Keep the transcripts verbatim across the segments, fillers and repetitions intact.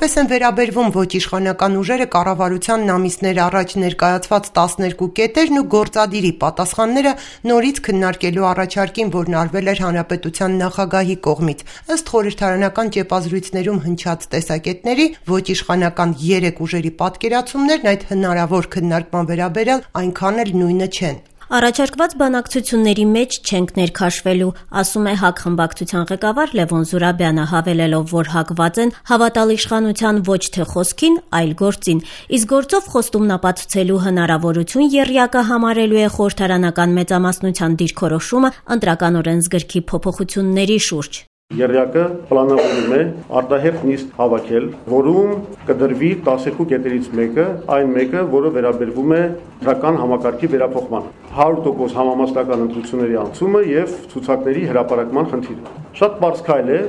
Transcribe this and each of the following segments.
Այսպես են վերաբերվում ոչ իշխանական ուժերը կառավարությանն ամիսներ առաջ ներկայացված տասներկու կետերն ու գործադիրի պատասխանները նորից քննարկելու առաջարկին, որն արվել էր Հանրապետության նախագահի կողմից։ Ըստ խորհրդարանական ճեպազրույցներում հնչած տեսակետների, ոչ իշխանական երեք ուժերի պատկերացումներն այդ հնարավոր քննարկման վերաբերյալ այնքան էլ նույնը չեն։ Առաջարկված բանակցությունների մեջ չենք ներքաշվելու, ասում է ՀԱԿ խմբակցության ղեկավար Լևոն Զուրաբյանը, հավելելով, որ հակված են հավատալ իշխանության ոչ թե խոսքին, այլ գործին, իսկ գործով խոստումնապատկվելու հնարավորություն եռյակը համարելու է խորհրդարանական մեծամասնության դիրքորոշումը ընտրական օրենսգրքի փոփոխությունների շուրջ։ Եռյակը պլանավորում է արտահերթ նիստ հավաքել, որում կդրվի տասներկու կետերից մեկը, այն մեկը, որը վերաբերվում է ընտրական համակարգի վերափոխմանը, հարյուր տոկոս համամասնական ընտրությունների անցումը եւ ցուցակների հրապարակման խնդիրը։ Շատ բարձ քայլ է,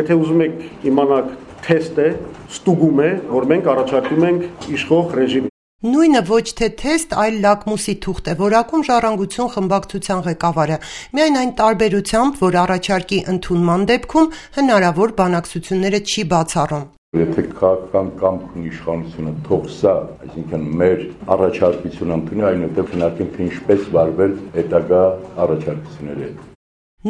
եթե ուզում եք իմանալ, թեստ է, ստուգում է, որ մենք առաջարկում ենք իշխող ռեժիմի։ Նույնը ոչ թե թեստ, այլ լակմուսի թուղթ է, որակում Ժառանգություն խմբակցության ղեկավարը, միայն այն տարբերությամբ, որ առաջարկի ընդունման դեպքում հնարավոր բանակցությունները չի բացառում։ Եթե քաղաքական կամք ունի իշխանությունը, թող սա, այսինքն մեր առաջարկությունը ընդունի, այնուհետև քննարկենք, թե ինչպես վարվել հետագա առաջարկությունների հետ։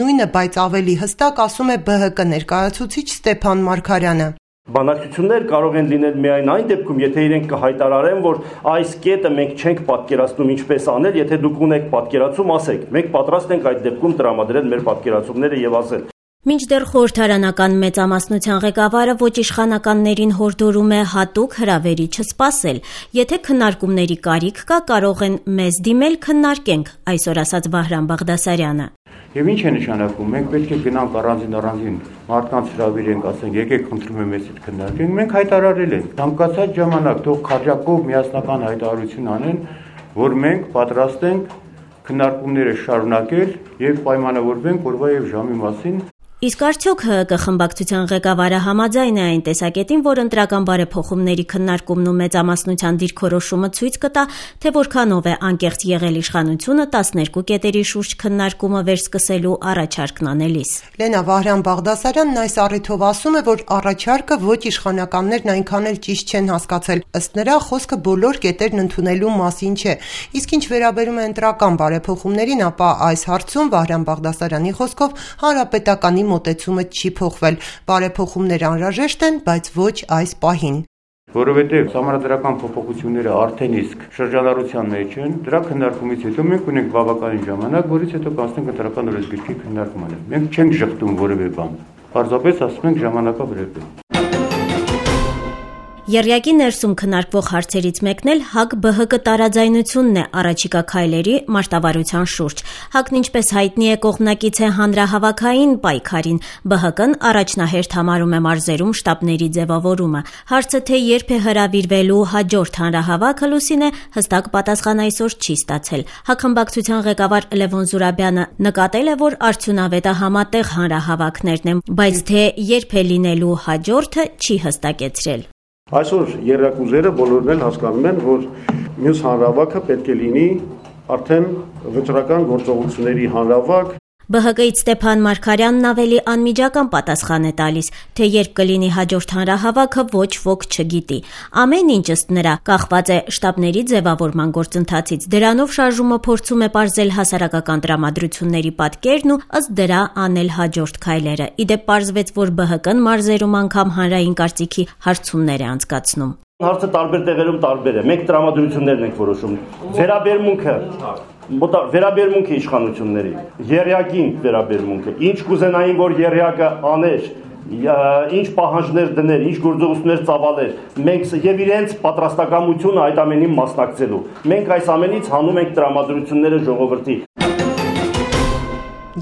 Նույնը, բայց ավելի հստակ ասում է ԲՀԿ ներկայացուցիչ Ստեփան Մարգարյանը։ Բանակցություններ կարող են լինել միայն այն դեպքում, եթե իրենք կհայտարարեն, որ այս կետը մենք չենք պատկերացնում ինչպես անել, եթե դուք ունեք պատկերացում, ասեք, մենք պատրաստ ենք այդ դեպքում տրամադրել մեր պատկերացումները եւ ասել։ Մինչդեռ խորհրդարանական մեծամասնության ղեկավարը ոչ իշխանականներին հորդորում է հատուկ հրավերի չսպասել։ Եթե քննարկումների կարիք կա, կարող են մեզ դիմել, քննարկենք, այսօր ասաց Վահրամ Բաղդասարյանը։ Եվ ինչ է նշանակում, մենք պետք է գնանք առանձին առանձին մարդկանց հրավիրենք, ասենք, եկեք խնդրում եմ մեզ հետ քննարկենք, մենք հայտարարել ենք։ Ցանկացած ժամանակ թող քաջակով միասնական հայտարարություն անեն, որ մենք պատրաստ ենք քննարկումները շարունակել եւ պայմանավորվենք օրվա եւ ժամի մասին։ Իսկ արդյոք ՀՀԿ խմբակցության ղեկավարը համաձայն է այն տեսակետին, որ ընտրական բարեփոխումների քննարկումն ու մեծամասնության դիրքորոշումը ցույց կտա, թե որքանով է անկեղծ եղել իշխանությունը տասներկու կետերի շուրջ քննարկումը վերսկսելու առաջարկն անելիս։ Լենա Վահրամ Բաղդասարյանն այս առիթով ասում է, որ առաջարկը ոչ իշխանականներն այնքան էլ ճիշտ չեն հասկացել, ըստ նրա խոսքը բոլոր կետերն ընդունելու մասին չէ։ Իսկ ինչ վերաբերում է ընտրական բարեփոխումներին, ապա այս հարցում Վահրամ Բաղդասարյանի խոսքով հանրապետականի մոտեցումը չի փոխվել, բարեփոխումներ անհրաժեշտ են, բայց ոչ այս պահին։ Որովհետև համանդրական փոփոխությունները արդեն իսկ շրջանառության մեջ են, դրա քննարկումից հետո մենք ունենք բավականին ժամանակ, որից հետո կանցնենք ընտրական օրենսգրքի քննարկմանը։ Մենք չենք շղթում որևէ բան։ Պարզապես ասում ենք ժամանակավրեպ է։ Եռյակի ներսում քննարկվող հարցերից մեկն էլ ՀԱԿ-ԲՀԿ տարաձայնությունն է առաջիկա քայլերի մարտավարության շուրջ։ ՀԱԿ-ն, ինչպես հայտնի է, կողմնակից է հանրահավաքային պայքարին, ԲՀԿ-ն առաջնահերթ համարում է մարզերում շտաբների ձևավորումը։ Հարցը, թե երբ է հրավիրվելու հաջորդ հանրահավաքը, Լուսինե, հստակ պատասխան այսօր չի ստացել։ ՀԱԿ խմբակցության ղեկավար Լևոն Զուրաբյանը նկատել է, որ արդյունավետը համատեղ հանրահավաքներն են, բայց թե երբ է լինելու հաջորդը, չի հստակեցրել։ Այսօր երրակուզերը բոլորն էլ հասկանում են, որ մյուս հանրահավաքը պետք է լինի արդեն վճռական գործողությունների հանրահավաք։ ԲՀԿ-ից Ստեփան Մարգարյանն ավելի անմիջական պատասխան է տալիս, թե երբ կլինի հաջորդ հանրահավաքը, ոչ ոք չգիտի։ Ամեն ինչ ըստ նրա կախված է շտաբների ձևավորման գործընթացից։ Դրանով շարժումը փորձում է պարզել հասարակական տրամադրությունների պատկերն ու ըստ դրա անել հաջորդ քայլերը։ Իդեպ պարզվեց, որ ԲՀԿ-ն մարզերում անգամ հանրային կարծիքի հարցումներ է անցկացնում։ Հարցը տարբեր տեղերում տարբեր է։ Մենք տրամադրություններն ենք որոշում։ Վերաբերմունքը վերաբերմունքը իշխանությունների, եռյակին վերաբերմունքը, ինչ կուզենային, որ եռյակը աներ, ինչ պահանջներ դներ, ինչ գործողություններ ծավալեր, մենք եւ իրենց պատրաստակամությունը այդ ամենին մասնակցելու։ Մենք այս ամենից հանում ենք տրամադրությունները ժողովրդի։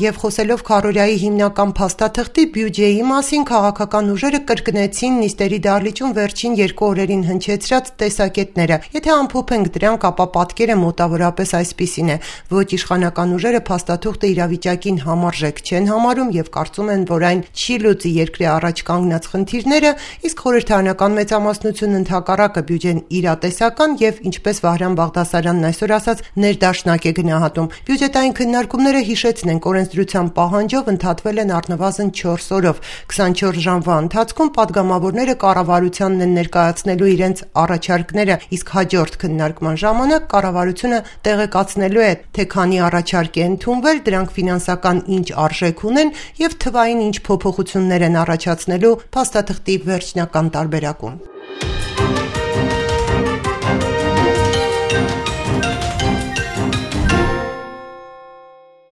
Եվ խոսելով քառորյայի հիմնական փաստաթղթի բյուջեի մասին, քաղաքական ուժերը կրկնեցին նիստերի դահլիճում վերջին երկու օրերին հնչեցրած տեսակետները։ Եթե ամփոփենք դրանք, ապա պատկերը մոտավորապես այսպիսին է. ոչ իշխանական ուժերը փաստաթուղթը իրավիճակին համարժեք չեն համարում եւ կարծում են, որ այն չի լուծի երկրի առաջ կանգնած խնդիրները, իսկ խորհրդարանական մեծամասնությունն ընդհակառակը բյուջեն իրատեսական եւ, ինչպես Վահրամ Բաղդասարյանն այսօր ասաց, ներդաշնակ է գնահատում։ Բյուջետային քննարկումները, հիշեցնենք, օրենսդրության պահանջով ընդհատվել են առնվազն չորս օրով։ քսանչորս ժամվա ընթացքում պատգամավորները կառավարությանն են ներկայացնելու իրենց առաջարկները, իսկ հաջորդ քննարկման ժամանակ կառավարությունը տեղեկացնելու է, թե քանի առաջարկ է ընդունվել, դրանք ֆինանսական ինչ արժեք ունեն եւ թվային ինչ փոփոխություններ են առաջացնելու փաստաթղթի վերջնական տարբերակում։